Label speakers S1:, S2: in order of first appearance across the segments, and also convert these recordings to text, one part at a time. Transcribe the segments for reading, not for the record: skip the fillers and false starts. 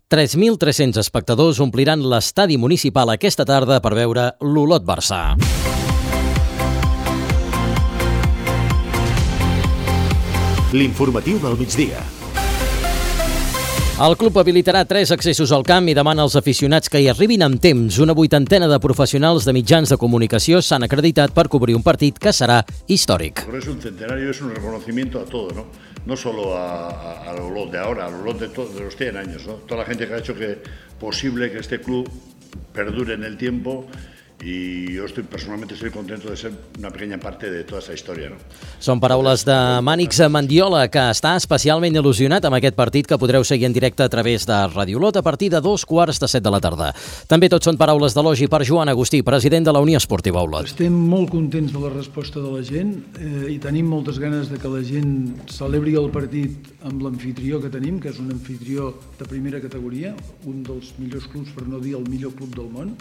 S1: 3.300 espectadors ompliran l'estadi municipal aquesta tarda per veure l'Olot-Barça.
S2: L'informatiu del migdia.
S1: El club habilitarà 3 accessos al camp i demana als aficionats que hi arribin amb temps. Una 80 de professionals de mitjans de comunicació s'han acreditat per cobrir un partit que serà històric.
S3: Es un centenario, es un reconocimiento a todo, ¿no? No solo al Olot de ahora, al Olot de los 100 años, ¿no? Toda la gente que ha hecho posible que este club perdure en el tiempo. I jo personalment estic content de ser una pequeña parte de tota aquesta història.
S1: Són paraules de Mànix Mendiola, que està especialment il·lusionat amb aquest partit que podreu seguir en directe a través de Radio Olot a partir de 2:15 de la tarda. També tot són paraules d'elogi per Joan Agustí, president de la Unió Esportiva Olot.
S4: Estem molt contents de la resposta de la gent i tenim moltes ganes de que la gent celebri el partit amb l'amfitrió que tenim, que és un amfitrió de primera categoria, un dels millors clubs, per no dir el millor club del món,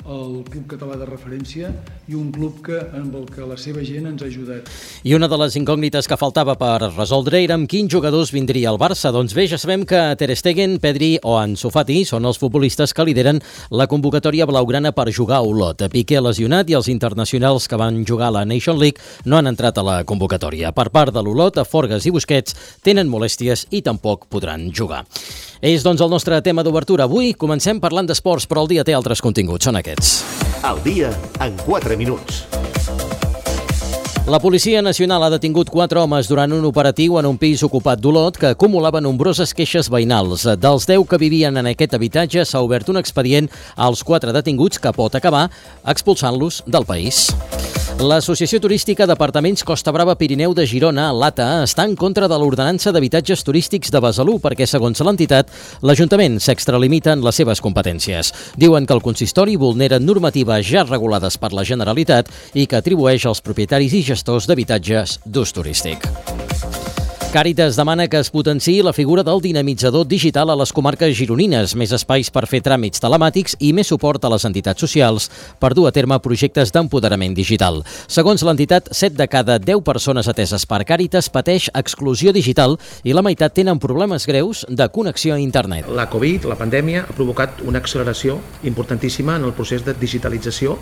S4: el club català de referència i un club amb el que la seva gent ens ha ajudat.
S1: I una de les incògnites que faltava per resoldre era amb quins jugadors vindria el Barça. Doncs bé, ja sabem que Ter Stegen, Pedri o Ansu Fati són els futbolistes que lideren la convocatòria blaugrana per jugar a Olot. Piqué lesionat i els internacionals que van jugar a la Nation League no han entrat a la convocatòria. Per part de l'Olot, Forgas i Busquets tenen molèsties i tampoc podran jugar. És, doncs, el nostre tema d'obertura. Avui comencem parlant d'esports, però el dia té altres continguts. Són aquests.
S2: El dia en 4 minuts.
S1: La Policia Nacional ha detingut 4 homes durant un operatiu en un pis ocupat d'Olot que acumulava nombroses queixes veïnals. Dels 10 que vivien en aquest habitatge s'ha obert un expedient als 4 detinguts que pot acabar expulsant-los del país. L'Associació Turística d'Apartaments Costa Brava Pirineu de Girona, l'ATA, està en contra de l'ordenança d'habitatges turístics de Besalú perquè, segons l'entitat, l'Ajuntament s'extralimita en les seves competències. Diuen que el consistori vulnera normatives ja regulades per la Generalitat i que atribueix als propietaris i gestors d'habitatges d'ús turístic. Càritas demana que es potenciï la figura del dinamitzador digital a les comarques gironines, més espais per fer tràmits telemàtics i més suport a les entitats socials per dur a terme projectes d'empoderament digital. Segons l'entitat, 7 de cada 10 persones ateses per Càritas pateix exclusió digital i la meitat tenen problemes greus de connexió a internet.
S5: La Covid, la pandèmia, ha provocat una acceleració importantíssima en el procés de digitalització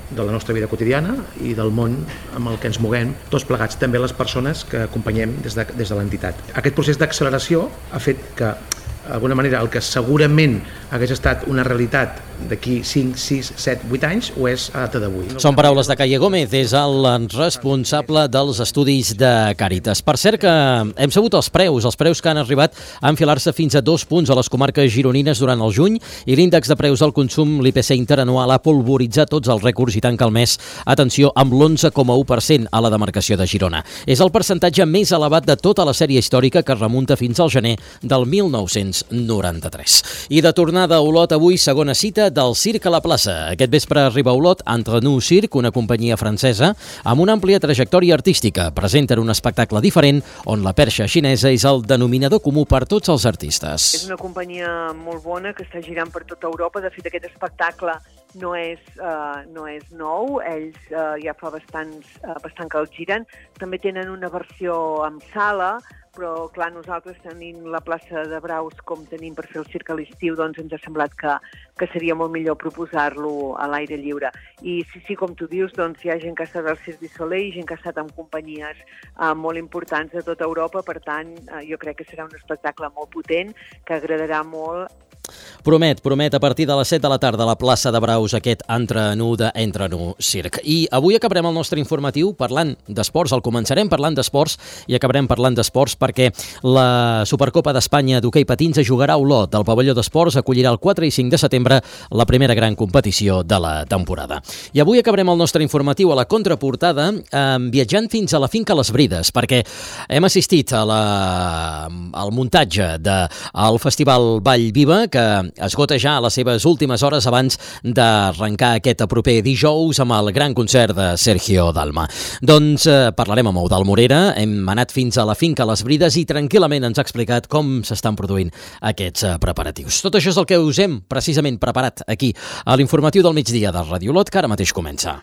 S5: de la nostra vida quotidiana i del món amb el que ens moguem, tots plegats, també les persones que acompanyem des de l'entitat. Aquest procés d'acceleració ha fet que, d'alguna manera, el que segurament hagués estat una realitat d'aquí 5, 6, 7, 8 anys ho és a data d'avui.
S1: Són paraules de Calle Gómez, és el responsable dels estudis de Càritas. Per cert que hem sabut els preus que han arribat a enfilar-se fins a 2 punts a les comarques gironines durant el juny i l'índex de preus al consum, l'IPC interanual, ha polvoritzat tots els rècords i tanca el mes, atenció, amb l'11,1% a la demarcació de Girona. És el percentatge més elevat de tota la sèrie històrica que remunta fins al gener del 1993. I de tornada a Olot, avui segona cita del Circ a la plaça. Aquest vespre arriba a Olot Entre nous Circ, una companyia francesa amb una àmplia trajectòria artística. Presenten un espectacle diferent on la perxa xinesa és el denominador comú per tots els artistes.
S6: És una companyia molt bona que està girant per tota Europa. De fet, aquest espectacle no és nou. Ells ja fa bastant que el giren. També tenen una versió amb sala, però clar, nosaltres tenint la plaça de Braus com tenim per fer el circ a l'estiu, doncs ens ha semblat que seria molt millor proposar-lo a l'aire lliure. I sí, com tu dius, doncs hi ha gent que ha estat al Cirque du Soleil, gent que ha estat amb companyies molt importants de tota Europa, per tant, jo crec que serà un espectacle molt potent, que agradarà molt.
S1: Promet a partir de les 7 de la tarda a la plaça de Braus aquest Entre nous Circ. I avui acabarem el nostre informatiu parlant d'esports, el començarem parlant d'esports i acabarem parlant d'esports perquè la Supercopa d'Espanya d'hoquei patins es jugarà a Olot. El pavelló d'esports acollirà el 4 i 5 de setembre la primera gran competició de la temporada. I avui acabarem el nostre informatiu a la contraportada viatjant fins a la finca Les Brides, perquè hem assistit al muntatge del Festival Vall Viva, que esgota ja a les seves últimes hores abans d'arrencar aquest proper dijous amb el gran concert de Sergio Dalma. Doncs parlarem amb Eudald Morera, hem anat fins a la finca Les Brides i tranquil·lament ens ha explicat com s'estan produint aquests preparatius. Tot això és el que us hem precisament preparat aquí a l'informatiu del migdia de Radio Olot, que ara mateix comença.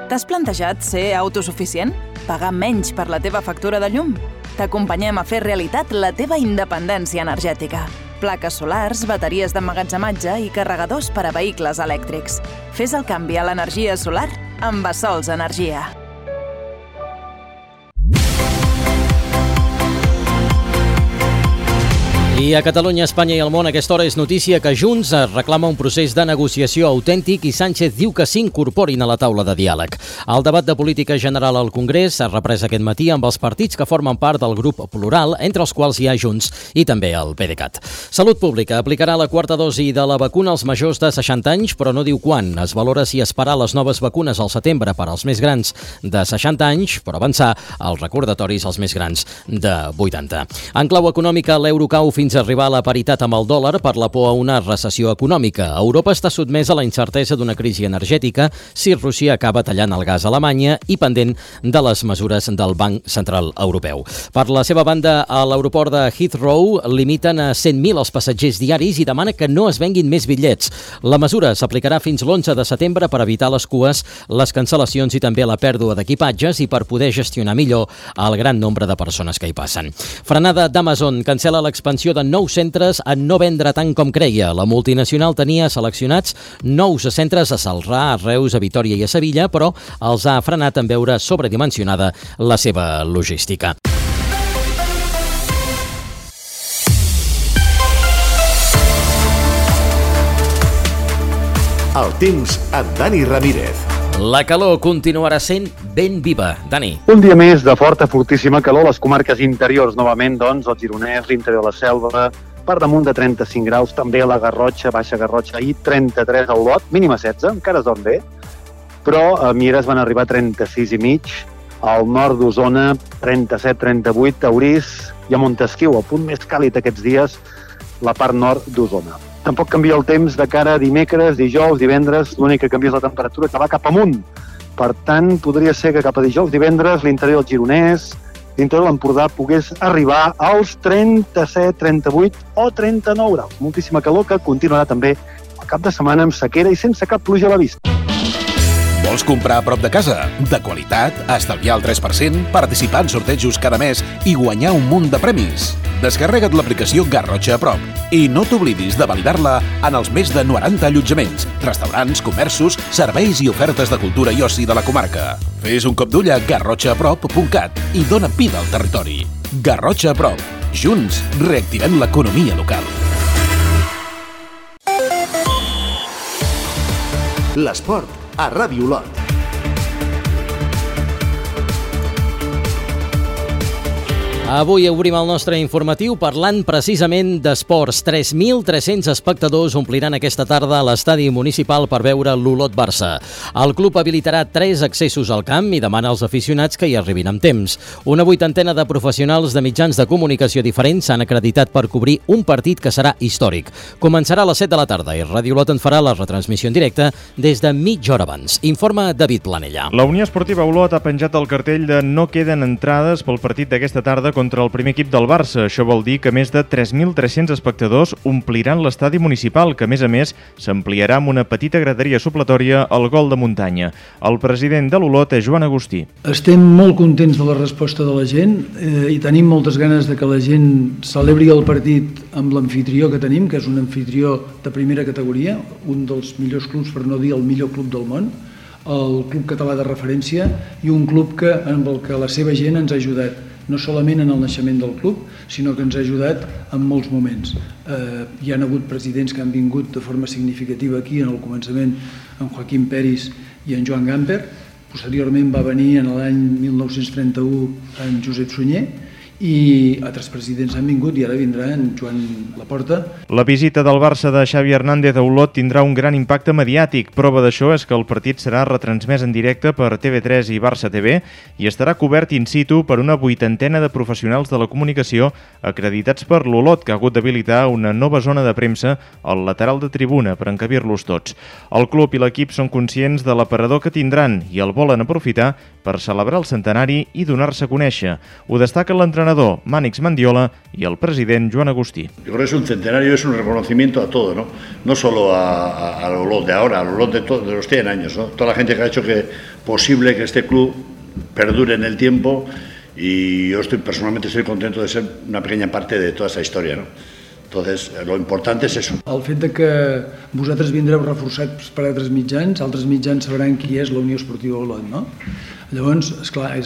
S7: T'has plantejat ser autosuficient? Pagar menys per la teva factura de llum? T'acompanyem a fer realitat la teva independència energètica. Plaques solars, bateries d'emmagatzematge i carregadors per a vehicles elèctrics. Fes el canvi a l'energia solar amb Bassols Energia.
S1: I a Catalunya, Espanya i el món, a aquesta hora és notícia que Junts reclama un procés de negociació autèntic i Sánchez diu que s'incorporin a la taula de diàleg. El debat de política general al Congrés s'ha reprès aquest matí amb els partits que formen part del grup Plural, entre els quals hi ha Junts i també el PDeCAT. Salut Pública aplicarà la quarta dosi de la vacuna als majors de 60 anys, però no diu quan. Es valora si esperar les noves vacunes al setembre per als més grans de 60 anys, però avançar els recordatoris als més grans de 80. En clau econòmica, l'euro cau fins a arribar a la paritat amb el dòlar per la por a una recessió econòmica. Europa està sotmesa a la incertesa d'una crisi energètica si Rússia acaba tallant el gas a Alemanya i pendent de les mesures del Banc Central Europeu. Per la seva banda, a l'aeroport de Heathrow limiten a 100.000 els passatgers diaris i demana que no es venguin més bitllets. La mesura s'aplicarà fins l'11 de setembre per evitar les cues, les cancel·lacions i també la pèrdua d'equipatges i per poder gestionar millor el gran nombre de persones que hi passen. Frenada d'Amazon cancel·la l'expansió de nous centres en no vendre tant com creia. La multinacional tenia seleccionats nous centres a Celrà, a Reus, a Vitòria i a Sevilla, però els ha frenat en veure sobredimensionada la seva logística.
S2: El temps amb Dani Ramírez.
S1: La calor continuarà sent ben viva. Dani.
S8: Un dia més de forta, fortíssima calor a les comarques interiors. Novament, doncs, el Gironès, l'interior de la Selva, per damunt de 35 graus, també a la Garrotxa, Baixa Garrotxa, i 33 al Lot, mínima 16, encara es dorm bé, però a Mieres van arribar a 36 i mig, al nord d'Osona, 37-38, a Orís i a Montesquiu, el punt més càlid aquests dies, la part nord d'Osona. Tampoc canvia el temps de cara a dimecres, dijous, divendres, l'únic que canvia és la temperatura, que va cap amunt. Per tant, podria ser que cap a dijous, divendres, l'interior del Gironès, l'interior de l'Empordà pogués arribar als 37, 38 o 39 graus. Moltíssima calor que continuarà també el cap de setmana amb sequera i sense cap pluja a la vista.
S9: Vols comprar a prop de casa? De qualitat, estalviar el 3%, participar en sortejos cada mes i guanyar un munt de premis? Descarrega't l'aplicació Garrotxa a prop i no t'oblidis de validar-la en els més de 90 allotjaments, restaurants, comerços, serveis i ofertes de cultura i oci de la comarca. Fes un cop d'ull a garrotxaaprop.cat i dona vida al territori. Garrotxa a prop. Junts reactivem l'economia local.
S2: L'esport a Ràdio Olot.
S1: Avui obrim el nostre informatiu parlant precisament d'esports. 3.300 espectadors ompliran aquesta tarda a l'estadi municipal per veure l'Olot-Barça. El club habilitarà 3 accessos al camp i demana als aficionats que hi arribin amb temps. Una 80ena de professionals de mitjans de comunicació diferents s'han acreditat per cobrir un partit que serà històric. Començarà a les 7 de la tarda i Ràdio Olot en farà la retransmissió en directe des de mitja hora abans. Informa David Planella.
S10: La Unió Esportiva Olot ha penjat el cartell de no queden entrades pel partit d'aquesta tarda contra el primer equip del Barça. Això vol dir que més de 3.300 espectadors ompliran l'estadi municipal, que a més s'ampliarà amb una petita graderia supletòria al gol de muntanya. El president de l'Olot és Joan Agustí.
S4: Estem molt contents de la resposta de la gent i tenim moltes ganes de que la gent celebri el partit amb l'amfitrió que tenim, que és un amfitrió de primera categoria, un dels millors clubs, per no dir el millor club del món, el club català de referència, i un club amb el que la seva gent ens ha ajudat, no solament en el naixement del club, sinó que ens ha ajudat en molts moments. Hi ha hagut presidents que han vingut de forma significativa aquí, en el començament, en Joaquim Peris i en Joan Gamper. Posteriorment va venir en l'any 1931 en Josep Sunyer, i altres presidents han vingut i ara vindrà en Joan Laporta.
S10: La visita del Barça de Xavi Hernández a Olot tindrà un gran impacte mediàtic. Prova d'això és que el partit serà retransmès en directe per TV3 i Barça TV i estarà cobert in situ per una 80ena de professionals de la comunicació acreditats per l'Olot, que ha hagut d'habilitar una nova zona de premsa al lateral de tribuna per encabir-los tots. El club i l'equip són conscients de l'aparador que tindran i el volen aprofitar per celebrar el centenari i donar-se a conèixer. Ho destaca l'entrenador l'entrenador Mànix Mendiola i el president Joan Agustí.
S3: Yo creo que es un centenario, es un reconocimiento a todo, ¿no? No solo al Olot de ahora, al Olot de los 100 años, ¿no? Toda la gente que ha hecho posible que este club perdure en el tiempo, y yo personalmente estoy contento de ser una pequeña parte de toda esa historia, ¿no? Entonces, lo importante es eso.
S4: El fet de que vosaltres vindreu reforçats per altres mitjans sabran qui és la Unió Esportiva Olot, no? Llavors, esclar,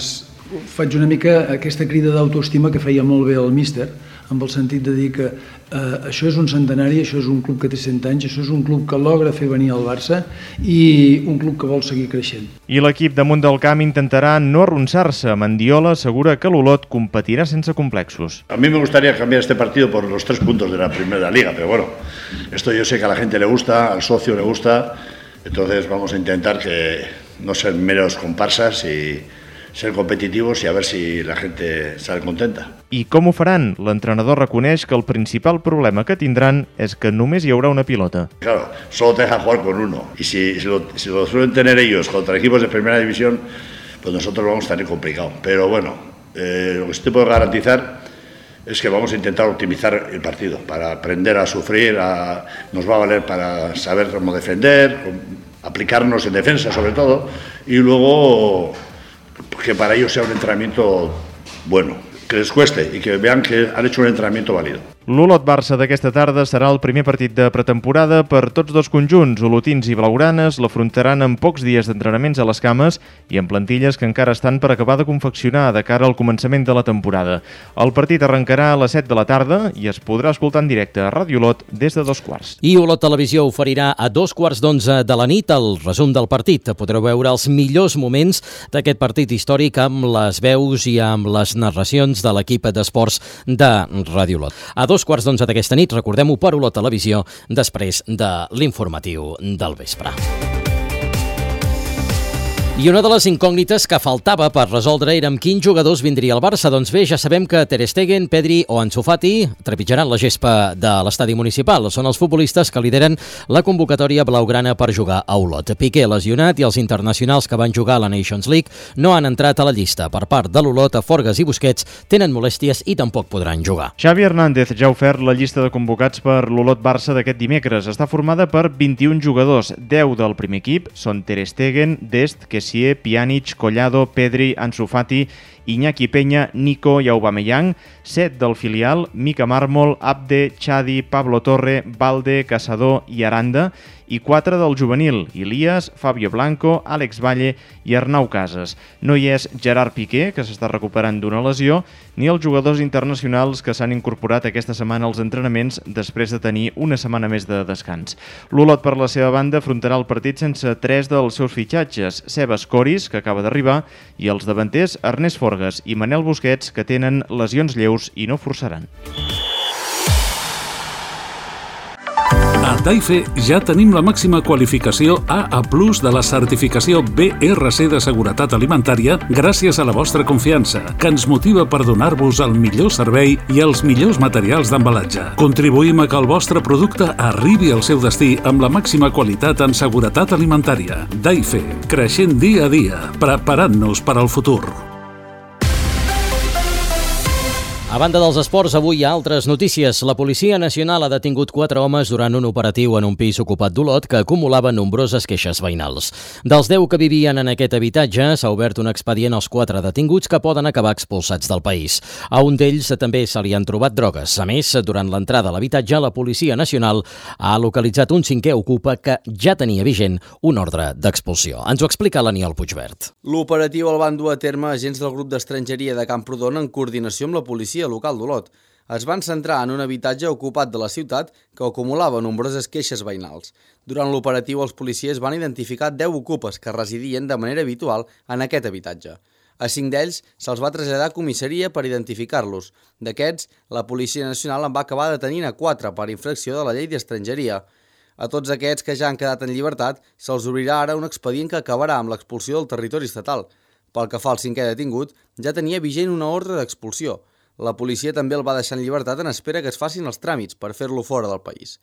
S4: faig una mica aquesta crida d'autoestima que feia molt bé el míster, amb el sentit de dir que això és un centenari, això és un club que té 100 anys, això és un club que logra fer venir el Barça i un club que vol seguir creixent.
S10: I l'equip damunt del camp intentarà no arronsar-se. Mendiola assegura que l'Olot competirà sense complexos.
S3: A mí me gustaría cambiar este partido por los 3 puntos de la Primera Liga, pero bueno, esto yo sé que a la gente le gusta, al socio le gusta, entonces vamos a intentar que no ser meros comparsas y ser competitivos y a ver si la gente sale contenta.
S10: I com ho faran? L'entrenador reconeix que el principal problema que tindran és que només hi haurà una pilota.
S3: Claro, solo te dejan jugar con uno. Y si lo suelen tener ellos contra equipos de primera división, pues nosotros vamos a tener complicado. Pero bueno, lo que sí te puedo garantizar es que vamos a intentar optimizar el partido para aprender a sufrir, nos va a valer para saber cómo defender, aplicarnos en defensa sobre todo, y luego que para ellos sea un entrenamiento bueno, que les cueste y que vean que han hecho un entrenamiento válido.
S10: L'Olot-Barça d'aquesta tarda serà el primer partit de pretemporada per tots dos conjunts. Olotins i blaugranes l'afrontaran amb pocs dies d'entrenaments a les cames i amb plantilles que encara estan per acabar de confeccionar de cara al començament de la temporada. El partit arrencarà a les 7 de la tarda i es podrà escoltar en directe a Ràdio Olot des de 2:15.
S1: I Olot Televisió oferirà a 11:15 de la nit el resum del partit. Podreu veure els millors moments d'aquest partit històric amb les veus i amb les narracions de l'equip d'esports de Ràdio Olot. A 2:15 d'aquesta nit, recordem-ho, per Olot Televisió, després de l'informatiu del vespre. I una de les incògnites que faltava per resoldre era amb quins jugadors vindria el Barça. Doncs bé, ja sabem que Ter Stegen, Pedri o Ansu Fati trepitjaran la gespa de l'estadi municipal. Són els futbolistes que lideren la convocatòria blaugrana per jugar a Olot. Piqué lesionat i els internacionals que van jugar a la Nations League no han entrat a la llista. Per part de l'Olot, Forgas i Busquets tenen molèsties i tampoc podran jugar.
S10: Xavi Hernández ja ha ofert la llista de convocats per l'Olot-Barça d'aquest dimecres. Està formada per 21 jugadors, 10 del primer equip, són Ter Stegen, Dest, Pjanic, Collado, Pedri, Ansu Fati, Iñaki Peña, Nico i Aubameyang, 7 del filial, Mika Mármol, Abde, Xadi, Pablo Torre, Balde, Caçador i Aranda, i 4 del juvenil, Ilias, Fabio Blanco, Àlex Valle i Arnau Casas. No hi és Gerard Piqué, que s'està recuperant d'una lesió, ni els jugadors internacionals que s'han incorporat aquesta setmana als entrenaments després de tenir una setmana més de descans. L'Olot, per la seva banda, afrontarà el partit sense 3 dels seus fitxatges, Sebas Coris, que acaba d'arribar, i els davanters Ernest Forgas i Manel Busquets, que tenen lesions lleus i no forçaran.
S11: A Taife ja tenim la màxima qualificació AA+ de la certificació BRC de seguretat alimentària gràcies a la vostra confiança, que ens motiva per donar-vos el millor servei i els millors materials d'embalatge. Contribuïm a que el vostre producte arribi al seu destí amb la màxima qualitat en seguretat alimentària. Taife, creixent dia a dia, preparant-nos per al futur.
S1: A banda dels esports, avui hi ha altres notícies. La Policia Nacional ha detingut 4 homes durant un operatiu en un pis ocupat d'Olot que acumulava nombroses queixes veïnals. Dels 10 que vivien en aquest habitatge, s'ha obert un expedient als 4 detinguts que poden acabar expulsats del país. A un d'ells també se li han trobat drogues. A més, durant l'entrada a l'habitatge, la Policia Nacional ha localitzat un 5è ocupa que ja tenia vigent un ordre d'expulsió. Ens ho explica l'Aniol Puigvert.
S12: L'operatiu el van dur a terme agents del grup d'estrangeria de Camprodon en coordinació amb la policia local d'Olot. Es van centrar en un habitatge ocupat de la ciutat que acumulava nombroses queixes veïnals. Durant l'operatiu, els policies van identificar 10 ocupes que residien de manera habitual en aquest habitatge. A 5 d'ells se'ls va traslladar a comissaria per identificar-los. D'aquests, la Policia Nacional en va acabar detenint a 4 per infracció de la llei d'estrangeria. A tots aquests que ja han quedat en llibertat, se'ls obrirà ara un expedient que acabarà amb l'expulsió del territori estatal. Pel que fa al 5è detingut, ja tenia vigent una ordre d'expulsió. La policia també el va deixar en llibertat en espera que es facin els tràmits per fer-lo fora del país.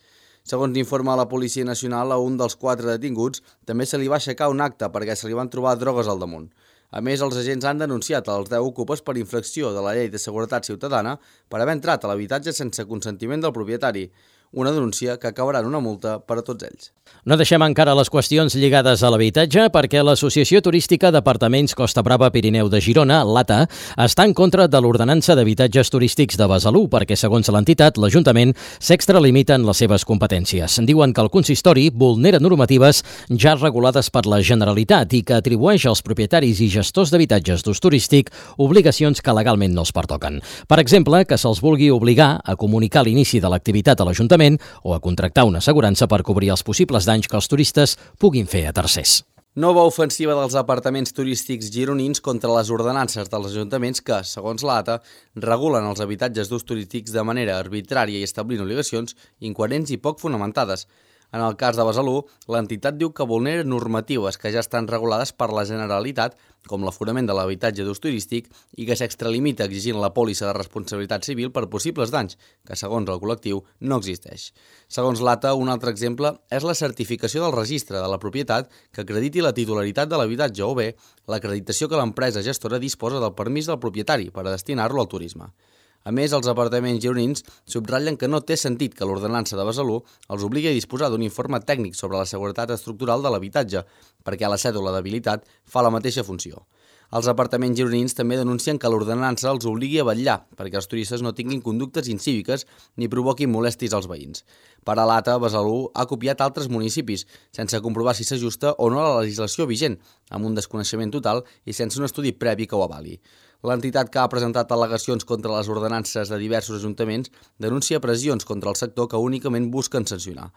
S12: Segons informa la Policia Nacional, a un dels 4 detinguts també se li va aixecar un acte perquè se li van trobar drogues al damunt. A més, els agents han denunciat els 10 ocupes per infracció de la Llei de Seguretat Ciutadana per haver entrat a l'habitatge sense consentiment del propietari. Una denúncia que acabarà en una multa per a tots ells.
S1: No deixem encara les qüestions lligades a l'habitatge perquè l'Associació Turística d'Apartaments Costa Brava Pirineu de Girona, l'ATA, està en contra de l'ordenança d'habitatges turístics de Besalú perquè, segons l'entitat, l'Ajuntament s'extralimita en les seves competències. Diuen que el consistori vulnera normatives ja regulades per la Generalitat i que atribueix als propietaris i gestors d'habitatges d'ús turístic obligacions que legalment no els pertoquen. Per exemple, que se'ls vulgui obligar a comunicar l'inici de l'activitat a l'Ajuntament o a contractar una assegurança per cobrir els possibles danys que els turistes puguin fer a tercers.
S12: Nova ofensiva dels apartaments turístics gironins contra les ordenances dels ajuntaments que, segons l'ATA, regulen els habitatges d'ús turístics de manera arbitrària i establint obligacions incoherents i poc fonamentades. En el cas de Besalú, l'entitat diu que vulnera normatives que ja estan regulades per la Generalitat, com l'aforament de l'habitatge d'ús turístic, i que s'extralimita exigint la pòlissa de responsabilitat civil per possibles danys, que segons el col·lectiu no existeix. Segons l'ATA, un altre exemple és la certificació del registre de la propietat que acrediti la titularitat de l'habitatge o bé l'acreditació que l'empresa gestora disposa del permís del propietari per a destinar-lo al turisme. A més, els apartaments gironins subratllen que no té sentit que l'ordenança de Besalú els obligui a disposar d'un informe tècnic sobre la seguretat estructural de l'habitatge, perquè la cèdula d'habilitat fa la mateixa funció. Els apartaments gironins també denuncien que l'ordenança els obligui a vetllar perquè els turistes no tinguin conductes incíviques ni provoquin molèsties als veïns. Per a l'ATA, Besalú ha copiat altres municipis, sense comprovar si s'ajusta o no a la legislació vigent, amb un desconeixement total i sense un estudi previ que ho avali. L'entitat que ha presentat al·legacions contra les ordenances de diversos ajuntaments denuncia pressions contra el sector que únicament busquen sancionar.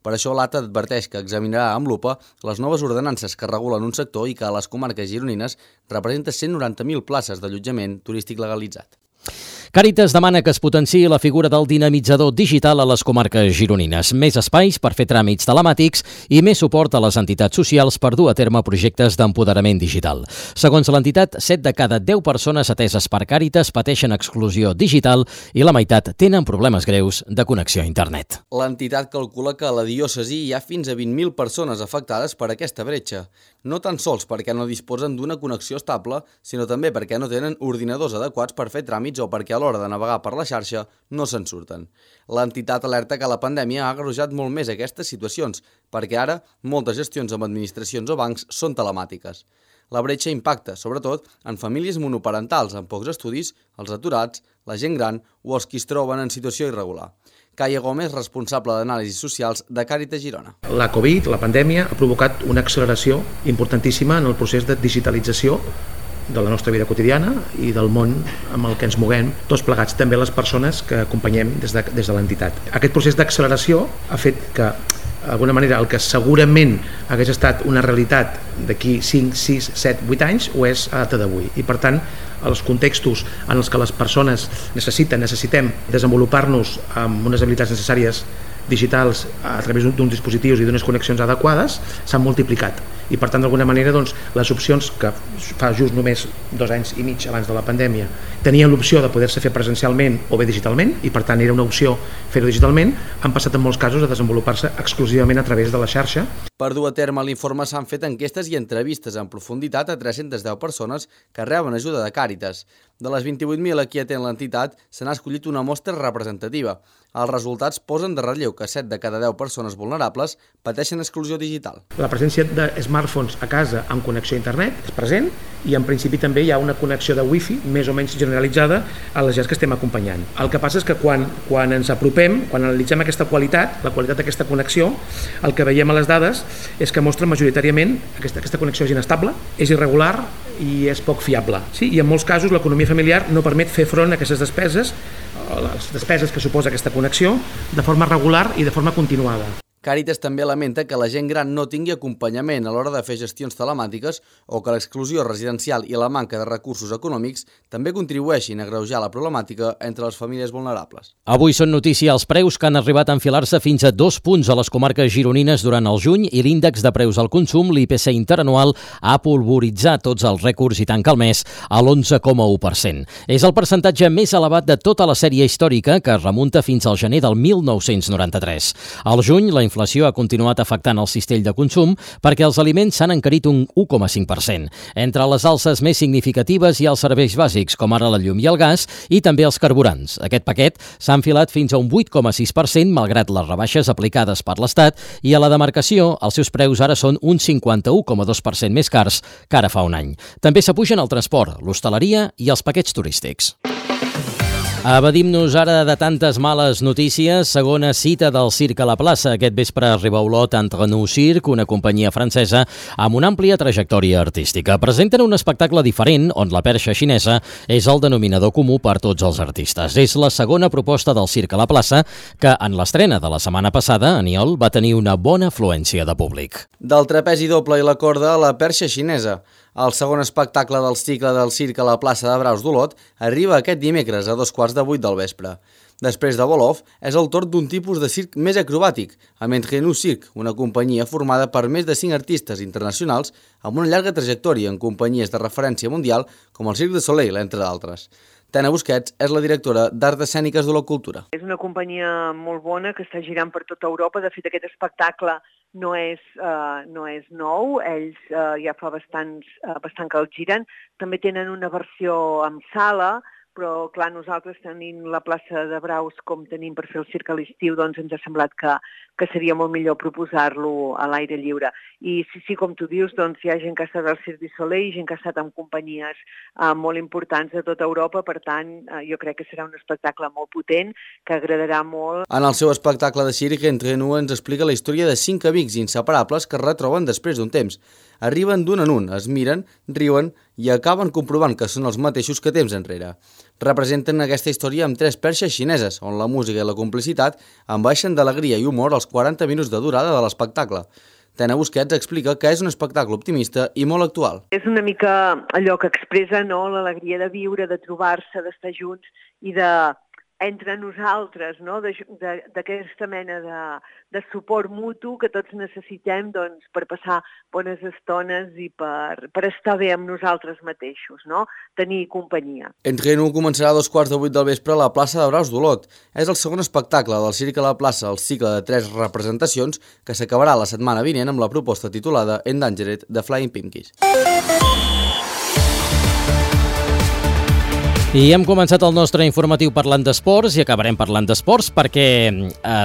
S12: Per això l'ATA adverteix que examinarà amb lupa les noves ordenances que regulen un sector i que a les comarques gironines representa 190.000 places d'allotjament turístic legalitzat.
S1: Càritas demana que es potenciï la figura del dinamitzador digital a les comarques gironines, més espais per fer tràmits telemàtics i més suport a les entitats socials per dur a terme projectes d'empoderament digital. Segons l'entitat, 7 de cada 10 persones ateses per Càritas pateixen exclusió digital i la meitat tenen problemes greus de connexió a internet.
S12: L'entitat calcula que a la diòcesi hi ha fins a 20.000 persones afectades per aquesta bretxa, no tan sols perquè no disposen d'una connexió estable, sinó també perquè no tenen ordinadors adequats per fer tràmits o perquè a l'hora de navegar per la xarxa no se'n surten. L'entitat alerta que la pandèmia ha agreujat molt més aquestes situacions, perquè ara moltes gestions amb administracions o bancs són telemàtiques. La bretxa impacta, sobretot, en famílies monoparentals amb pocs estudis, els aturats, la gent gran o els qui es troben en situació irregular. Caia Gómez, responsable d'anàlisis socials de Càritas Girona.
S5: La Covid, la pandèmia, ha provocat una acceleració importantíssima en el procés de digitalització de la nostra vida quotidiana i del món amb el que ens moguem, tots plegats, també les persones que acompanyem des de l'entitat. Aquest procés d'acceleració ha fet que, d'alguna manera, el que segurament hagués estat una realitat d'aquí 5, 6, 7, 8 anys ho és a data d'avui. I, per tant, els contextos en els que les persones necessitem desenvolupar-nos amb unes habilitats necessàries digitals a través d'uns dispositius i d'unes connexions adequades s'han multiplicat i per tant d'alguna manera doncs, les opcions que fa just només 2 anys i mig abans de la pandèmia tenien l'opció de poder-se fer presencialment o bé digitalment i per tant era una opció fer-ho digitalment, han passat en molts casos a desenvolupar-se exclusivament a través de la xarxa.
S12: Per dur a terme l'informe s'han fet enquestes i entrevistes en profunditat a 310 persones que reben ajuda de Càritas. De les 28.000 a qui atén l'entitat, se n'ha escollit una mostra representativa. Els resultats posen de relleu que 7 de cada 10 persones vulnerables pateixen exclusió digital.
S5: La presència de smartphones a casa amb connexió a internet és present i en principi també hi ha una connexió de wifi més o menys generalitzada a les gens que estem acompanyant. El que passa és que quan ens apropem, quan analitzem aquesta qualitat, la qualitat d'aquesta connexió, el que veiem a les dades és que mostra majoritàriament aquesta connexió és inestable, és irregular i és poc fiable. Sí, i en molts casos l'economia familiar no permet fer front a aquestes despeses, les despeses que suposa aquesta connexió, de forma regular i de forma continuada.
S12: Càritas també lamenta que la gent gran no tingui acompanyament a l'hora de fer gestions telemàtiques o que l'exclusió residencial i la manca de recursos econòmics també contribueixin a agreujar la problemàtica entre les famílies vulnerables.
S1: Avui són notícia els preus que han arribat a enfilar-se fins a 2 punts a les comarques gironines durant el juny i l'índex de preus al consum, l'IPC interanual, ha polvoritzat tots els rècords i tanca el mes a l'11,1%. És el percentatge més elevat de tota la sèrie històrica que remunta fins al gener del 1993. Al juny, la inflació ha continuat afectant el cistell de consum perquè els aliments s'han encarit un 1,5%. Entre les alces més significatives hi ha els serveis bàsics, com ara la llum i el gas, i també els carburants. Aquest paquet s'ha enfilat fins a un 8,6%, malgrat les rebaixes aplicades per l'Estat, i a la demarcació els seus preus ara són un 51,2% més cars que ara fa un any. També s'apugen el transport, l'hostaleria i els paquets turístics. Evadim-nos ara de tantes males notícies. Segona cita del Circ a la plaça. Aquest vespre arriba a Olot Entre nous Circ, una companyia francesa amb una àmplia trajectòria artística. Presenten un espectacle diferent on la perxa xinesa és el denominador comú per tots els artistes. És la segona proposta del Circ a la plaça que en l'estrena de la setmana passada, Aniol, va tenir una bona afluència de públic.
S12: Del trapezi doble i la corda a la perxa xinesa. El segon espectacle del cicle del Circ a la plaça de Braus d'Olot arriba aquest dimecres a 7:15 del vespre. Després de Volov, és el torn d'un tipus de circ més acrobàtic, amb Entre nous Circ, una companyia formada per més de 5 artistes internacionals amb una llarga trajectòria en companyies de referència mundial com el Cirque du Soleil, entre d'altres. Tena Busquets és la directora d'Arts Escèniques de la Cultura.
S6: És una companyia molt bona que està girant per tota Europa. De fet, aquest espectacle no és nou. Ells ja fa bastant que el giren. També tenen una versió amb sala, però clar, nosaltres tenint la plaça de Braus com tenim per fer el circ a l'estiu, doncs ens ha semblat que seria molt millor proposar-lo a l'aire lliure. I sí, com tu dius, doncs hi ha gent que ha estat al Cirque du Soleil, gent que ha estat amb companyies molt importants de tota Europa, per tant, jo crec que serà un espectacle molt potent, que agradarà molt.
S12: En el seu espectacle de circ, Entre nous ens explica la història de 5 amics inseparables que es retroben després d'un temps. Arriben d'un en un, es miren, riuen i acaben comprovant que són els mateixos que temps enrere. Representen aquesta història amb 3 perxes xineses, on la música i la complicitat enbaixen d'alegria i humor als 40 minuts de durada de l'espectacle. Tena Busquets explica que és un espectacle optimista i molt actual.
S6: És una mica allò que expressa l'alegria de viure, de trobar-se, d'estar junts i entre nosaltres, d'aquesta mena de suport mutu que tots necessitem per passar bones estones i per estar bé amb nosaltres mateixos, tenir companyia.
S12: Entre nous començarà a 7:15 del vespre a la plaça de Braus d'Olot. És el segon espectacle del Circ a la plaça, el cicle de 3 representacions, que s'acabarà la setmana vinent amb la proposta titulada Endangered de Flying Pinkies.
S1: I hem començat el nostre informatiu parlant d'esports i acabarem parlant d'esports perquè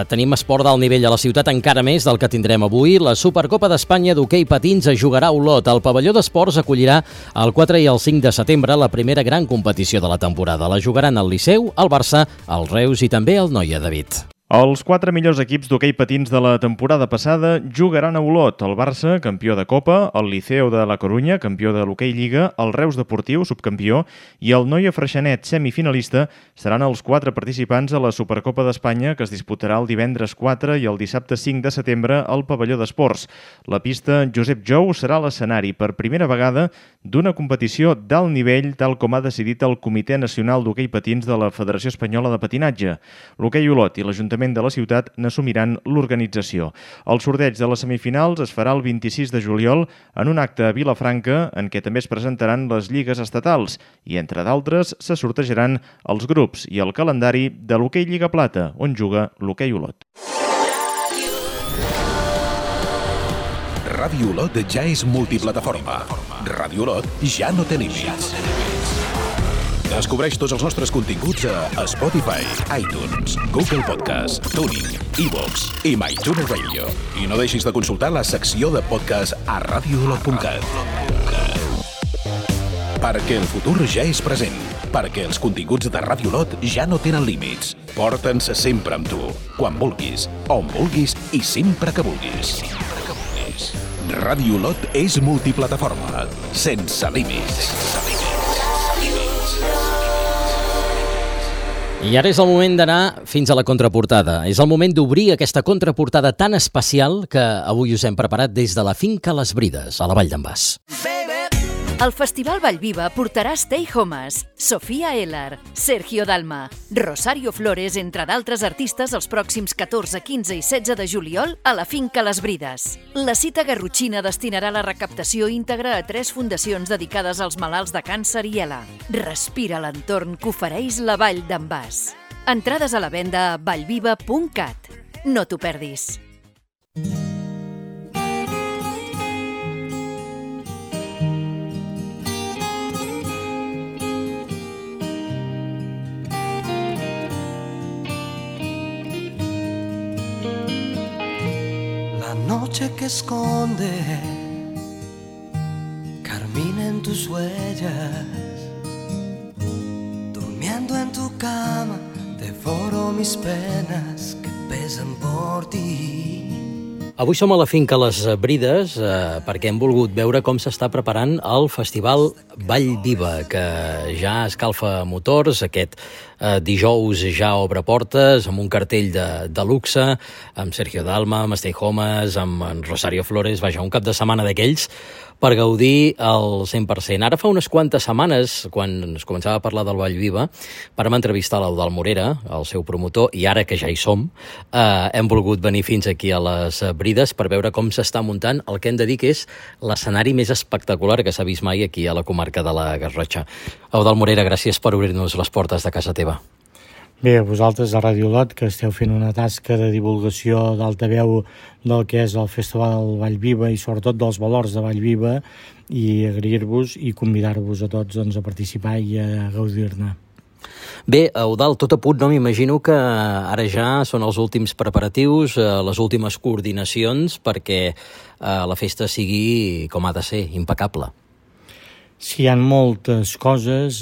S1: tenim esport d'alt nivell a la ciutat, encara més del que tindrem avui. La Supercopa d'Espanya d'hoquei patins es jugarà a Olot. El pavelló d'esports acollirà el 4 i el 5 de setembre la primera gran competició de la temporada. La jugaran el Liceu, el Barça, el Reus i també el Noia David.
S10: Els 4 millors equips d'hoquei patins de la temporada passada jugaran a Olot. El Barça, campió de Copa, el Liceu de la Corunya, campió de l'hoquei Lliga, el Reus Deportiu, subcampió, i el Noia Freixenet, semifinalista, seran els 4 participants a la Supercopa d'Espanya, que es disputarà el divendres 4 i el dissabte 5 de setembre al pavelló d'esports. La pista Josep Jou serà l'escenari per primera vegada d'una competició d'alt nivell, tal com ha decidit el Comitè Nacional d'Hoquei Patins de la Federació Espanyola de Patinatge. L'hoquei Olot i l'Ajuntament de la ciutat n'assumiran l'organització. El sorteig de les semifinals es farà el 26 de juliol en un acte a Vilafranca en què també es presentaran les lligues estatals i, entre d'altres, se sortejaran els grups i el calendari de l'hoquei Lliga Plata, on juga l'hoquei Olot.
S9: Ràdio Olot ja és multiplataforma. Ràdio Olot ja no té límits. Descobreix tots els nostres continguts a Spotify, iTunes, Google Podcast, TuneIn, iVoox i MyTuner Radio. I no deixis de consultar la secció de podcast a radioolot.cat. Perquè el futur ja és present. Perquè els continguts de Ràdio Olot ja no tenen límits. Porta'ns sempre amb tu, quan vulguis, on vulguis i sempre que vulguis. Ràdio Olot és multiplataforma, sense límits.
S1: I ara és el moment d'anar fins a la contraportada. És el moment d'obrir aquesta contraportada tan especial que avui us hem preparat des de la finca Les Brides, a la Vall d'en Bas.
S13: El Festival Vallviva portarà Stay Homes, Sofia Ellar, Sergio Dalma, Rosario Flores, entre d'altres artistes els pròxims 14, 15 i 16 de juliol a la finca Les Brides. La cita garrotxina destinarà la recaptació íntegra a 3 fundacions dedicades als malalts de càncer i ELA. Respira l'entorn que ofereix la Vall d'en Bas. Entrades a la venda a vallviva.cat. No t'ho perdis.
S14: La noche que esconde carmina en tus huellas, durmiendo en tu cama devoro mis penas que pesan por ti.
S1: Avui som a la finca Les Brides perquè hem volgut veure com s'està preparant el Festival Vallviva, que ja escalfa motors. Aquest dijous ja obre portes amb un cartell de luxe, amb Sergio Dalma, amb Stay Homes, amb Rosario Flores, vaja, un cap de setmana d'aquells per gaudir al 100%. Ara fa unes quantes setmanes, quan es començava a parlar del Vallviva, vam entrevistar l'Eudald Morera, el seu promotor, i ara que ja hi som, hem volgut venir fins aquí a Les Brides per veure com s'està muntant el que hem de dir que és l'escenari més espectacular que s'ha vist mai aquí a la comarca de la Garrotxa. Eudald Morera, gràcies per obrir-nos les portes de casa teva.
S15: Bé, a vosaltres a Radio Lot, que esteu fent una tasca de divulgació d'altaveu del que és el Festival Vallviva i sobretot dels valors de Vallviva, i agrair-vos i convidar-vos a tots a participar i a gaudir-ne.
S1: Bé, Eudald, tot a punt, no? M'imagino que ara ja són els últims preparatius, les últimes coordinacions perquè la festa sigui com ha de ser, impecable.
S15: Sí, hi ha moltes coses,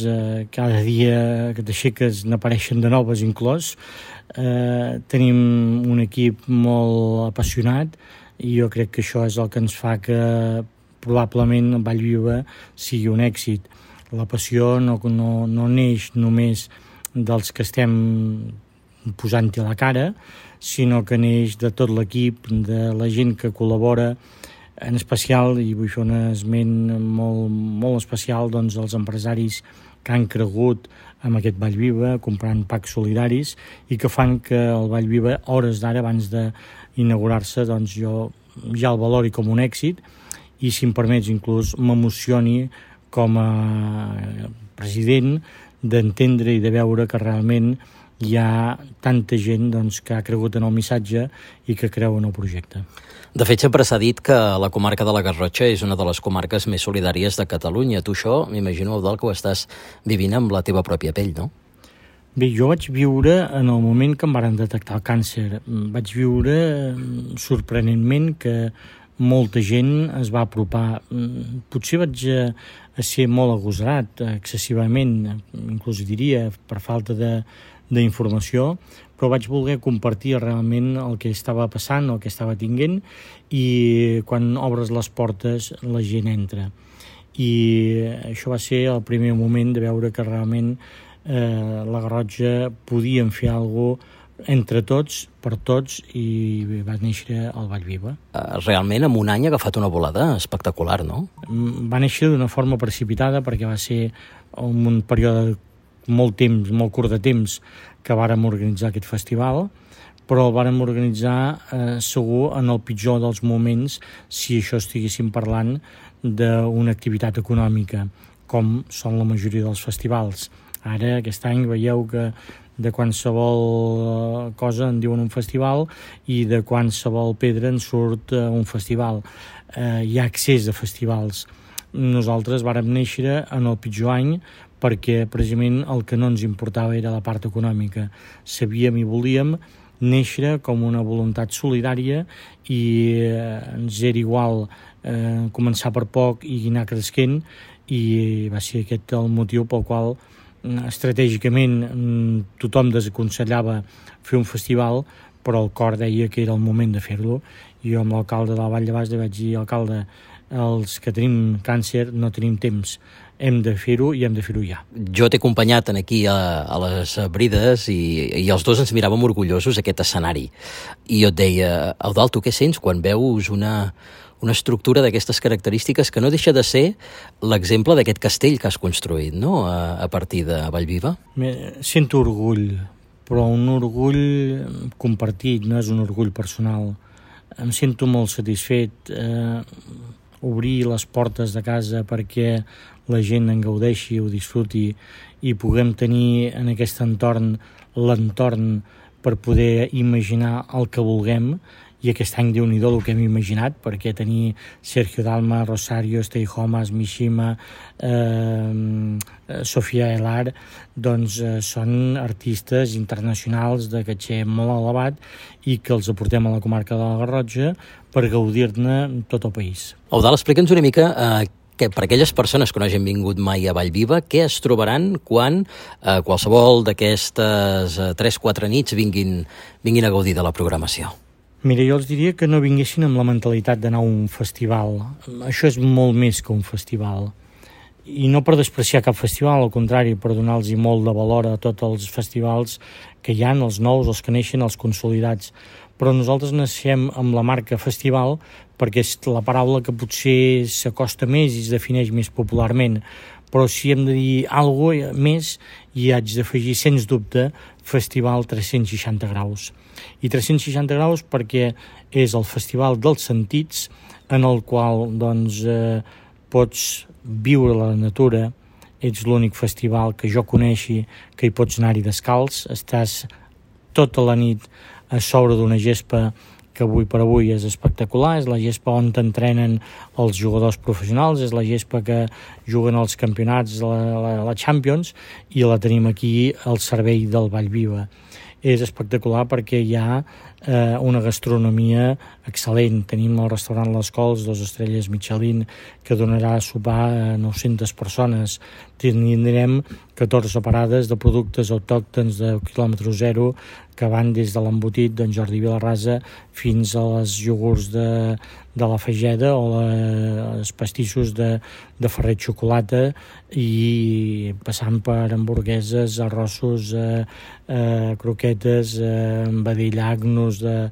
S15: cada dia que t'aixeques n'apareixen de noves inclòs. Tenim un equip molt apassionat i jo crec que això és el que ens fa que probablement Vallviva sigui un èxit. La passió no neix només dels que estem posant-hi a la cara, sinó que neix de tot l'equip, de la gent que col·labora, en especial, i vull fer un esment molt especial, doncs els empresaris que han cregut amb aquest Vallviva, comprant packs solidaris, i que fan que el Vallviva, hores d'ara, abans d'inaugurar-se, doncs jo ja el valori com un èxit, i si em permets inclús m'emocioni com a president d'entendre i de veure que realment hi ha tanta gent que ha cregut en el missatge i que creu en el projecte.
S1: De fet, sempre s'ha dit que la comarca de la Garrotxa és una de les comarques més solidàries de Catalunya. Tu això, m'imagino, Eudald, que ho estàs vivint amb la teva pròpia pell, no?
S15: Bé, jo vaig viure en el moment que em varen detectar el càncer. Vaig viure sorprenentment que molta gent es va apropar. Potser vaig a ser molt agosarat, excessivament, inclús diria, per falta d'informació, però vaig voler compartir realment el que estava passant, el que estava tinguent, i quan obres les portes la gent entra. I això va ser el primer moment de veure que realment la Garrotxa podíem fer alguna cosa entre tots, per tots, i va néixer el Vallviva.
S1: Realment, en un any ha agafat una volada espectacular, no?
S15: Va néixer d'una forma precipitada perquè va ser un període molt curt de temps que vàrem organitzar aquest festival, però el vàrem organitzar segur en el pitjor dels moments si això estiguéssim parlant d'una activitat econòmica, com són la majoria dels festivals. Ara, aquest any, veieu que de qualsevol cosa en diuen un festival i de qualsevol pedra en surt un festival. Hi ha accés a festivals. Nosaltres vàrem néixer en el pitjor any perquè precisament el que no ens importava era la part econòmica. Sabíem i volíem néixer com una voluntat solidària i ens era igual començar per poc i anar creixent, i va ser aquest el motiu pel qual estratègicament tothom desaconsellava fer un festival, però el cor deia que era el moment de fer-lo. I jo amb l'alcalde de la Vall de Bas li vaig dir: alcalde, els que tenim càncer no tenim temps, hem de fer-ho i hem de fer-ho ja.
S1: Jo t'he acompanyat aquí a les Brides i els dos ens miràvem orgullosos aquest escenari. I jo et deia: Eudald, tu què sents quan veus una estructura d'aquestes característiques que no deixa de ser l'exemple d'aquest castell que has construït, no?, a partir de Vallviva?
S15: Sento orgull, però un orgull compartit, no és un orgull personal. Em sento molt satisfet. Obrir les portes de casa perquè la gent en gaudeixi, ho disfruti, i puguem tenir en aquest entorn l'entorn per poder imaginar el que vulguem, i aquest any Déu-n'hi-do el que hem imaginat, perquè tenir Sergio Dalma, Rosario, Stay Homas, Mishima, Sofia Elar, doncs són artistes internacionals de caché molt elevat i que els aportem a la comarca de la Garrotxa per gaudir-ne tot el país.
S1: Eudald, explica'ns una mica que per aquelles persones que no hagin vingut mai a Vallviva, què es trobaran quan qualsevol d'aquestes 3-4 nits vinguin a gaudir de la programació?
S15: Mira, jo els diria que no vinguessin amb la mentalitat d'anar a un festival. Això és molt més que un festival. I no per despreciar cap festival, al contrari, per donar-los molt de valor a tots els festivals que hi ha, els nous, els que neixen, els consolidats. Però nosaltres naixem amb la marca festival perquè és la paraula que potser s'acosta més i es defineix més popularment. Però si hem de dir alguna cosa més, hi haig d'afegir, sens dubte, Festival 360 graus. I 360 graus perquè és el festival dels sentits en el qual doncs, pots viure la natura, ets l'únic festival que jo coneixi que hi pots anar-hi descalç, estàs tota la nit a sobre d'una gespa que avui per avui és espectacular, és la gespa on t'entrenen els jugadors professionals, és la gespa que juguen als campionats, la Champions, i la tenim aquí al servei del Vallviva. És espectacular perquè hi ha una gastronomia excel·lent. Tenim el restaurant Les Cols, 2 estrelles Michelin, que donarà a sopar a 900 persones. Tindrem 14 parades de productes autòctons de quilòmetre zero que van des de l'embotit d'en Jordi Vilarrasa fins a les iogurts de la Fageda o els pastissos de Ferrer Xocolata i passant per hamburgueses, arrossos, croquetes, vedell-agnos de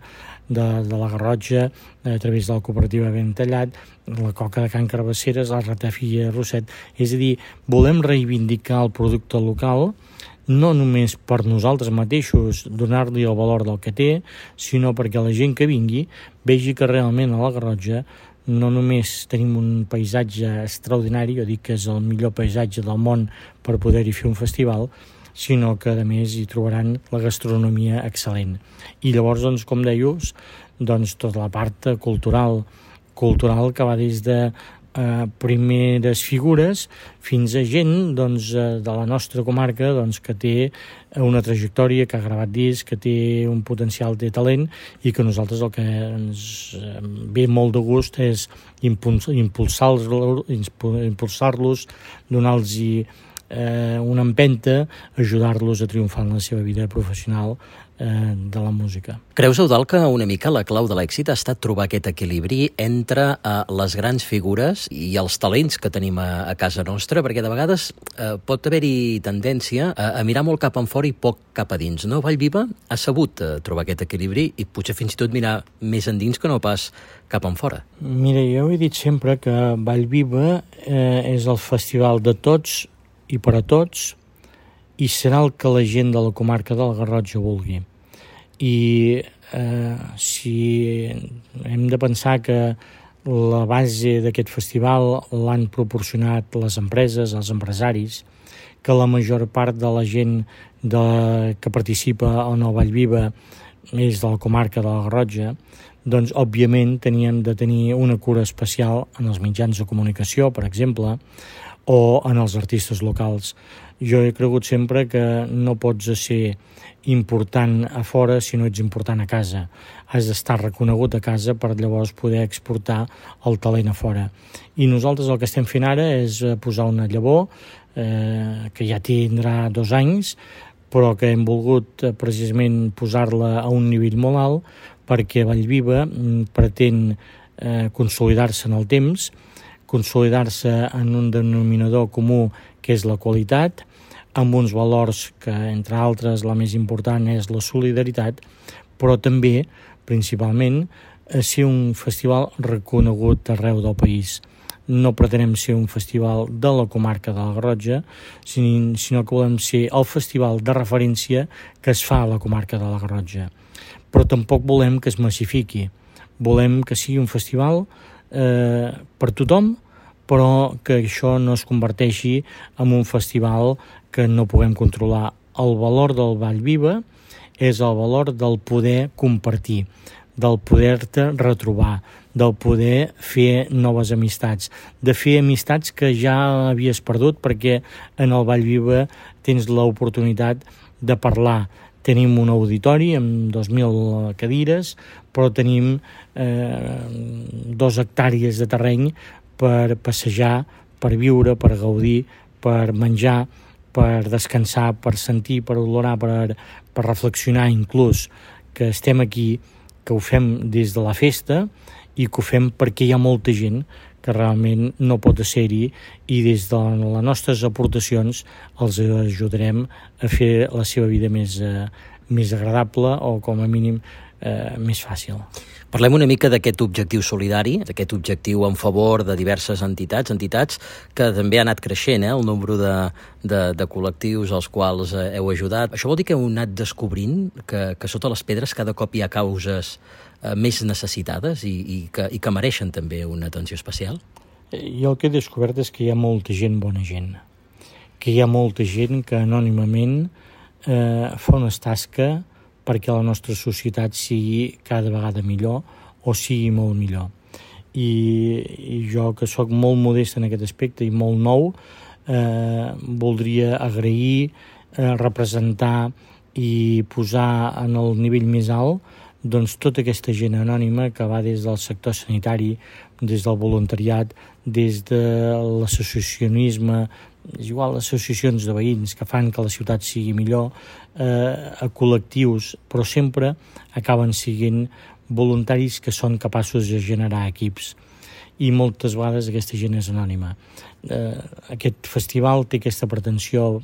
S15: la Garrotxa a través de la cooperativa Ben Tallat, la coca de Can Carbasseres, la ratafia Rosset. És a dir, volem reivindicar el producte local no només per nosaltres mateixos donar-li el valor del que té, sinó perquè la gent que vingui vegi que realment a la Garrotxa no només tenim un paisatge extraordinari, jo dic que és el millor paisatge del món per poder-hi fer un festival, sinó que a més hi trobaran la gastronomia excel·lent. I llavors, doncs, com deies, doncs, tota la part cultural que va des de primeres figures fins a gent doncs, de la nostra comarca doncs, que té una trajectòria, que ha gravat discs, que té un potencial de talent i que nosaltres el que ens ve molt de gust és impulsar-los, donar-los una empenta, ajudar-los a triomfar en la seva vida professional de la música.
S1: Creus, Eudald, que una mica la clau de l'èxit ha estat trobar aquest equilibri entre les grans figures i els talents que tenim a casa nostra? Perquè de vegades pot haver-hi tendència a mirar molt cap enfora i poc cap a dins, no? Vallviva ha sabut trobar aquest equilibri i potser fins i tot mirar més endins que no pas cap enfora.
S15: Mira, jo he dit sempre que Vallviva és el festival de tots i per a tots, i serà el que la gent de la comarca de la Garrotxa vulgui. I si hem de pensar que la base d'aquest festival l'han proporcionat les empreses, els empresaris, que la major part de la gent que participa en el Vallviva és de la comarca de la Garrotxa, doncs, òbviament, teníem de tenir una cura especial en els mitjans de comunicació, per exemple, o en els artistes locals. Jo he cregut sempre que no pots ser important a fora si no ets important a casa. Has d'estar reconegut a casa per llavors poder exportar el talent a fora. I nosaltres el que estem fent ara és posar una llavor que ja tindrà 2 anys, però que hem volgut precisament posar-la a un nivell molt alt perquè Vallviva pretén consolidar-se en el temps, consolidar-se en un denominador comú que és la qualitat, amb uns valors que, entre altres, la més important és la solidaritat, però també, principalment, ser un festival reconegut arreu del país. No pretenem ser un festival de la comarca de la Garrotxa, sinó que volem ser el festival de referència que es fa a la comarca de la Garrotxa. Però tampoc volem que es massifiqui. Volem que sigui un festival per tothom, però que això no es converteixi en un festival que no puguem controlar. El valor del Vallviva és el valor del poder compartir, del poder-te retrobar, del poder fer noves amistats, de fer amistats que ja havies perdut, perquè en el Vallviva tens l'oportunitat de parlar. Tenim un auditori amb 2.000 cadires, però tenim 2 hectàrees de terreny per passejar, per viure, per gaudir, per menjar, per descansar, per sentir, per olorar, per reflexionar inclús, que estem aquí, que ho fem des de la festa i que ho fem perquè hi ha molta gent que realment no pot ser-hi i des de les nostres aportacions els ajudarem a fer la seva vida més agradable o com a mínim més fàcil.
S1: Parlem una mica d'aquest objectiu solidari, d'aquest objectiu en favor de diverses entitats que també ha anat creixent, el nombre de col·lectius als quals heu ajudat. Això vol dir que heu anat descobrint que sota les pedres cada cop hi ha causes més necessitades i que mereixen també una atenció especial?
S15: Jo el que he descobert és que hi ha molta gent bona gent, que hi ha molta gent que anònimament fa una tasca perquè la nostra societat sigui cada vegada millor o sigui molt millor. I jo, que sóc molt modest en aquest aspecte i molt nou, voldria agrair, representar i posar en el nivell més alt doncs tota aquesta gent anònima que va des del sector sanitari, des del voluntariat, des de l'associacionisme, és igual, associacions de veïns que fan que la ciutat sigui millor, a col·lectius, però sempre acaben sent voluntaris que són capaços de generar equips. I moltes vegades aquesta gent és anònima. Aquest festival té aquesta pretensió,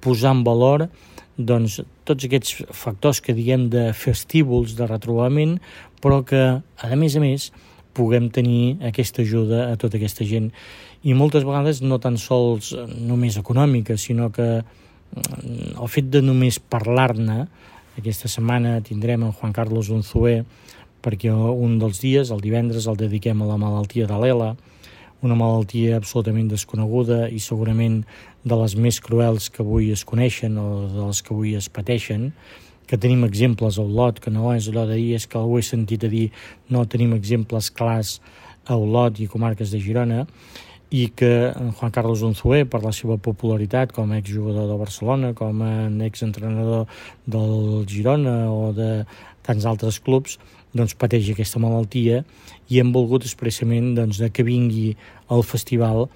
S15: posar en valor doncs, tots aquests factors que diguem de festívols, de retrobament, però que, a més, puguem tenir aquesta ajuda a tota aquesta gent. I moltes vegades no tan sols només econòmica, sinó que el fet de només parlar-ne, aquesta setmana tindrem en Juan Carlos Unzué, perquè un dels dies, el divendres, el dediquem a la malaltia de l'ELA, una malaltia absolutament desconeguda i segurament de les més cruels que avui es coneixen o de les que avui es pateixen, que tenim exemples a Olot, que no és allò de dir, és que ho he sentit a dir, no tenim exemples clars a Olot i comarques de Girona, i que Juan Carlos Unzué, per la seva popularitat com a exjugador de Barcelona, com a exentrenador del Girona o de tants altres clubs, doncs pateix aquesta malaltia i hem volgut expressament que vingui al festival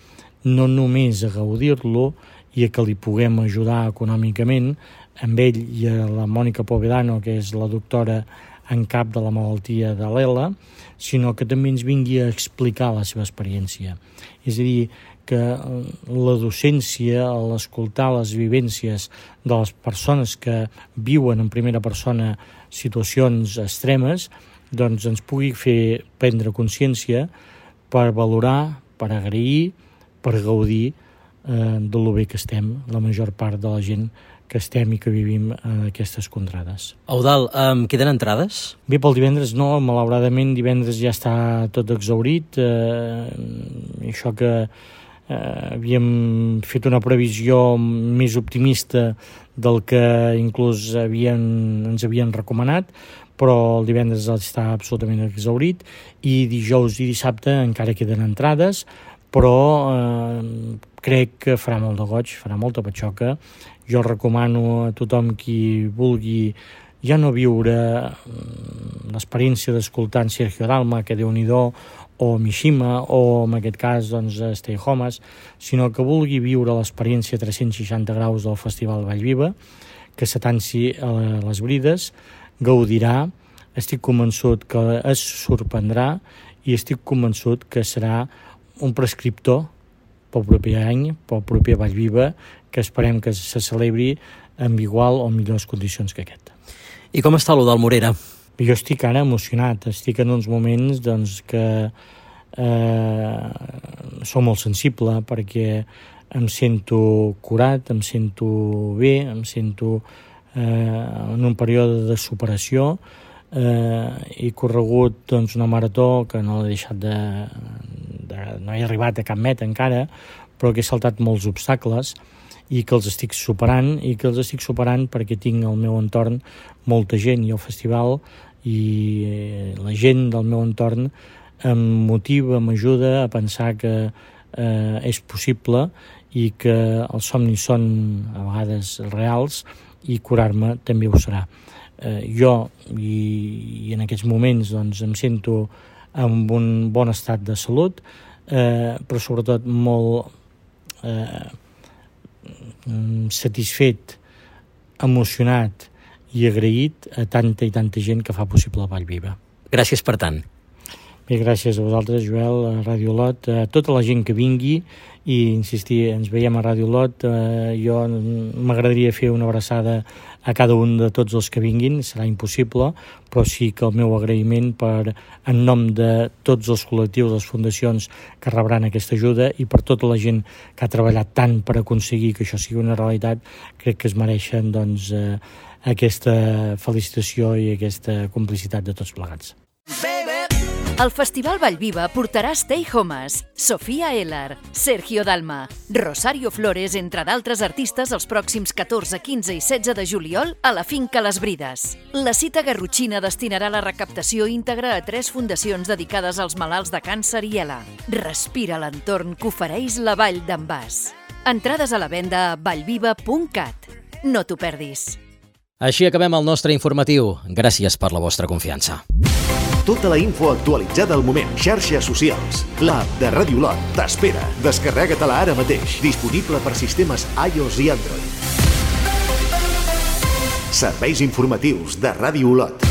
S15: no només a gaudir-lo i a que li puguem ajudar econòmicament amb ell i a la Mònica Povedano, que és la doctora en cap de la malaltia de l'ELA, sinó que també ens vingui a explicar la seva experiència. És a dir, que la docència, l'escoltar les vivències de les persones que viuen en primera persona situacions extremes, doncs ens pugui fer prendre consciència per valorar, per agrair, per gaudir de lo bé que estem, la major part de la gent que estem i que vivim aquestes contrades.
S1: Eudald, queden entrades?
S15: Bé, pel divendres no, malauradament divendres ja està tot exhaurit. Això que havíem fet una previsió més optimista del que inclús ens havien recomanat, però el divendres està absolutament exhaurit i dijous i dissabte encara queden entrades, però crec que farà molt de goig, farà molta patxoca. Jo recomano a tothom qui vulgui ja no viure l'experiència d'escoltar en Sergio Dalma, que Déu-n'hi-do, o Mishima, o en aquest cas Stay Homes, sinó que vulgui viure l'experiència 360 graus del Festival Vallviva, que s'atanci a les brides, gaudirà, estic convençut que es sorprendrà i estic convençut que serà un prescriptor pel proper any, pel proper Vallviva, que esperem que se celebri amb igual o millors condicions que aquest.
S1: I com està l'Eudald Morera?
S15: Jo estic ara emocionat, estic en uns moments que sóc molt sensible perquè em sento curat, em sento bé, em sento en un període de superació. He corregut una marató que no l'he deixat no he arribat a cap meta encara, però que he saltat molts obstacles i que els estic superant perquè tinc al meu entorn molta gent i el festival i la gent del meu entorn em motiva, m'ajuda a pensar que és possible i que els somnis són a vegades reals i curar-me també ho serà. Jo, i en aquests moments, doncs, em sento amb un bon estat de salut, però sobretot molt satisfet, emocionat i agraït a tanta i tanta gent que fa possible Vallviva.
S1: Gràcies per tant.
S15: Bé, gràcies a vosaltres, Joel, a Ràdio Olot, a tota la gent que vingui i insistir, ens veiem a Ràdio Olot. Jo m'agradaria fer una abraçada a cada un de tots els que vinguin, serà impossible, però sí que el meu agraïment en nom de tots els col·lectius, les fundacions que rebran aquesta ajuda i per tota la gent que ha treballat tant per aconseguir que això sigui una realitat, crec que es mereixen doncs, aquesta felicitació i aquesta complicitat de tots plegats.
S13: El Festival Vallviva portarà Stay Homes, Sofia Ellar, Sergio Dalma, Rosario Flores, entre d'altres artistes, els pròxims 14, 15 i 16 de juliol a la Finca Les Brides. La cita garrotxina destinarà la recaptació íntegra a 3 fundacions dedicades als malalts de càncer i ELA. Respira l'entorn que ofereix la Vall d'en Bas. Entrades a la venda a vallviva.cat. No t'ho perdis.
S1: Així acabem el nostre informatiu. Gràcies per la vostra confiança.
S2: Tota la info actualitzada al moment. Xarxes socials. L'app de Ràdio Olot t'espera. Descarrega-te-la ara mateix. Disponible per sistemes iOS i Android. Serveis informatius de Ràdio Olot.